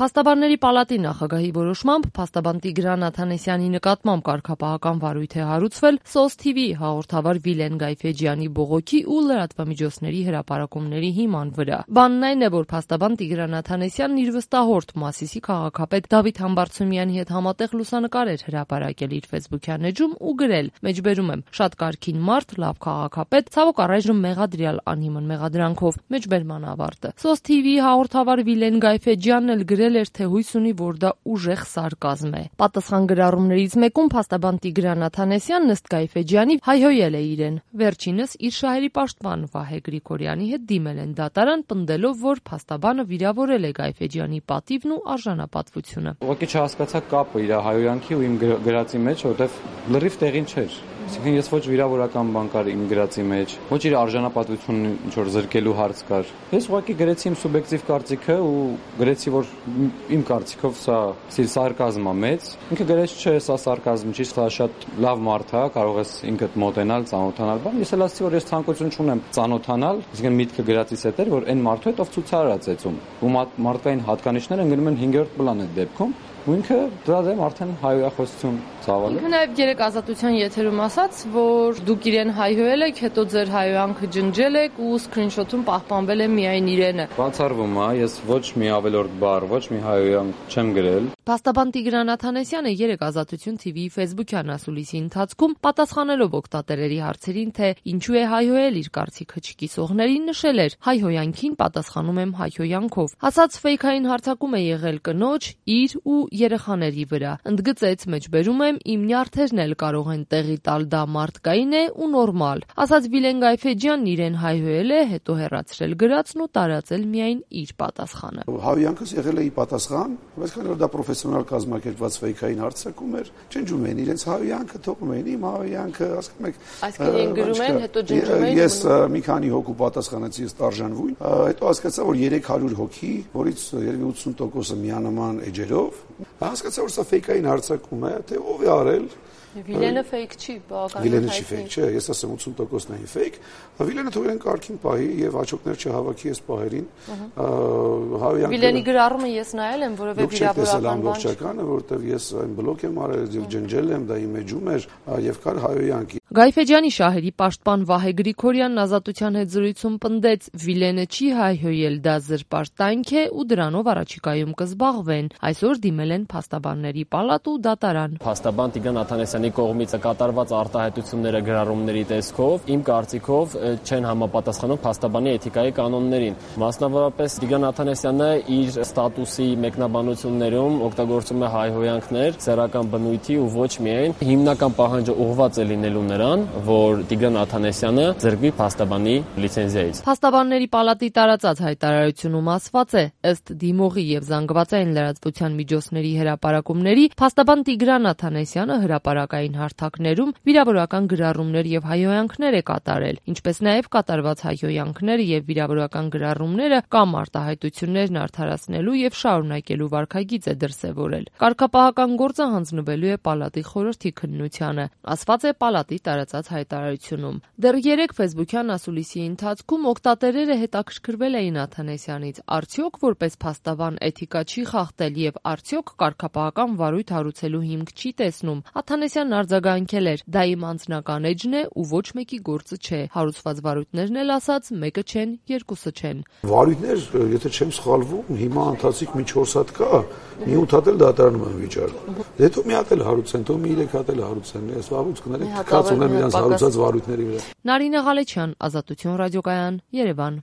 Փաստաբանների պալատի նախագահի որոշմամբ փաստաբան Տիգրան Աթանեսյանի նկատմամբ կարգապահական վարույթ է հարուցվել SOS TV հաղորդավար Վիլեն Գայֆեջյանի բողոքի ու լրատվամիջոցների հրապարակումների հիման վրա։ Բանն այն է, որ փաստաբան Տիգրան Աթանեսյանն իր վստահորդ Մասիսի քաղաքապետ Դավիթ Համբարձումյանի հետ համատեղ լուսանկար էր հրապարակել իր Facebook-յան էջում ու գրել. մեջբերում եմ, շատ կարգին մարդ, լավ քաղաքապետ, ցավոք առայժմ մեղադրյալ անհիմն մեղադրանքով, մեջբերման ավարտը։ SOS TV հաղորդավար Վիլեն Գայֆեջյանն էլ գրել էր, թե հույս ունի, որ դա ուժեղ սարկազմ է։ Պատասխան գրառումներից մեկում փաստաբան Տիգրան Աթանեսյանն ըստ Գայֆեջյանի հայհոյել է իրեն։ Վերջինս իր շահերի պաշտպան Վահե Գրիգորյանի հետ դիմել են դատարան, պնդելով, որ փաստաբանը վիրավորել է Գայֆեջյանի պատիվն ու արժանապատվությունը։ Ուղղակի չհասկացա կապը իր հայհոյանքի ու իմ գրածի մեջ, որովհետև լրիվ տեղին չէր։ Այսինքն ես ոչ վիրավորական բան կար իմ գրածի մեջ, ոչ իր արժանապատվությունն ինչ որ զրկելու հարց կար։ Ես ուղղակի գրեցի իմ սուբյեկտիվ կարծիքը ու գրեցի, որ իմ կարծիքով սա սարկազմ է մեծ։ Ինքը գրեց, չէ, սա սարկազմ չի, սա շատ լավ մարդ է, կարող ես ինքդ մոտենալ, ծանոթանալ, բան։ Ես էլ ասացի, որ ես ցանկություն չունեմ ծանոթանալ, այսինքն միտքը գրածիս հետ էր, որ այն մարդու հետ ով ցուցարար է ծեծում։ Ու մարդկային հատկանիշները ընկնում են 5-րդ պլան այդ դեպքում։ Ու ինքը դրա դեմ արդեն հայհոյախոսություն ծավալել։ Ինքը նաև երեք ազատության եթերում ասաց, որ դուք իրեն հայհոյել եք, հետո ձեր հայհոյանքը ջնջել եք ու սկրինշոթում պահպանվել է միայն իրենը։ Բացառվում է, ես ոչ մի ավելորդ բառ, ոչ մի հայհոյանք չեմ գրել։ Փաստաբան Տիգրան Աթանեսյանը երեք ազատություն TV-ի Facebook-յան ասուլիսի ընթացքում պատասխանելով օգտատերերի հարցերին, թե ինչու է հայհոյել իր կարծիքը չկիսողներին, նշել էր. հայհոյանքին պատասխանում եմ հայհոյանքով։ Ասաց ֆեյքային հարձակում է եղել կնոջ, իր ու երեխաների վրա։ Ընդգծեց, մեջբերում եմ, իմ նյարդերն էլ կարող են տեղի տալ, դա մարդկային է ու նորմալ։ Ասաց Վիլեն Գայֆեջյանն իրեն հայհոյել է, հետո հեռացրել գրածն ու տարածել միայն իր պատասխանը։ Հայհոյանքս եղել է ի պատասխան, բայց քանի որ դա պրոֆեսիոնալ կազմակերպված ֆեյքային հարձակում էր, ջնջում էին իրենց հայհոյանքը, թողում էին իմ հայհոյանքը, ասում եք։ Այսինքն գրում են, հետո ջնջում էին։ Ես մի քանի հոգու պատասխանեցի, ես տարժանվույն, հետո հասկացա, որ 300 հոգի, որից երևի 80%-ը միանման էջերով, հասկացա, որ սա ֆեյքային հարձակում է, թե ով է արել։ Վիլենը ֆեյք չի, բավականին Վիլենը չի ֆեյք, չէ, ես ասեմ 80%-ն է ֆեյք։ Վիլենը թողեն կարգին պահի եւ հաջողներ չհավաքի այս պահերին։ Վիլենի գրառումը ես նայել եմ, որովհետեւ վիրավորական բան չէ, որովհետեւ ես այն բլոկ եմ արել եւ ջնջել եմ, դա իմ էջում էր եւ կար հայհոյանք։ Գայֆեջյանի շահերի պաշտպան Վահե Գրիգորյանն ազատության հետ զրույցում պնդեց, Վիլենը չի հայհոյել, դա զրպարտանք է ու դրանով առաջիկայում կզբաղվեն։ Այսօր դիմել են փաստաբանների պալատ ու դատարան։ Փաստաբան Տիգրան Աթանեսյանի կողմից կատարված արտահայտությունները գրառումների տեսքով իմ կարծիքով չեն համապատասխանում փաստաբանի էթիկայի կանոններին։ Մասնավորապես Տիգրան Աթանեսյանը իր ստատուսի մեկնաբանություններում օգտագործում է հայհոյանքներ սեռական բնույթի ու ոչ միայն հիմնական պահանջը ուղղված է լինելու նրան, որ Տիգրան Աթանեսյանը ձեռքի փաստաբանի լիցենզիայից։ Փաստաբանների պալատի տարածած հայտարարությունում ասված է, ըստ դիմողի եւ զանգվածային լրատվության միջոցների հրապարակումների, փաստաբան Տիգրան Աթանեսյանը հրապարակային հարթակներում վիրավորական գրառումներ եւ հայհոյանքներ է կատարել, ինչպես նաեւ կատարված հայհոյանքները եւ վիրավորական գրառումները կամ արտահայտություններն արդարացնելու եւ շարունակելու վարքագիծ է դրսեւորել։ Կարգապահական գործը հանձնվելու է պալատի խորհրդի քննությանը, ասված է պալատի տարածած հայտարարությունում։ Դեռ 3 Facebook-յան ասուլիսի ընթացքում օգտատերերը հետաքրքրվել էին Աթանեսյանից, արդյոք որպես փաստաբան էթիկա չի խախտել եւ արդյոք կարգապահական վարույթ հարուցելու հիմք չի տեսնում։ Աթանեսյանն արձագանքել էր. դա իմ անձնական էջն է ու ոչ մեկի գործը չէ։ Հարուցված վարույթներն էլ ասաց, մեկը չեն, երկուսը չեն։ Վարույթներ, եթե չեմ սխալվում, հիմա ընթացիկ մի 4 հատ կա, մի 8 հատ էլ դատարանում են վիճարկում։ Հետո մի հատ էլ հարուցեն, թող մի 3 հատ էլ հարուցեն, ես վաղուց կներեք, կաց ունեմ իրենց հարուցած վարույթների վրա։ Նարինե Ղալեչյան, Ազատություն ռադիոկայան, Երևան։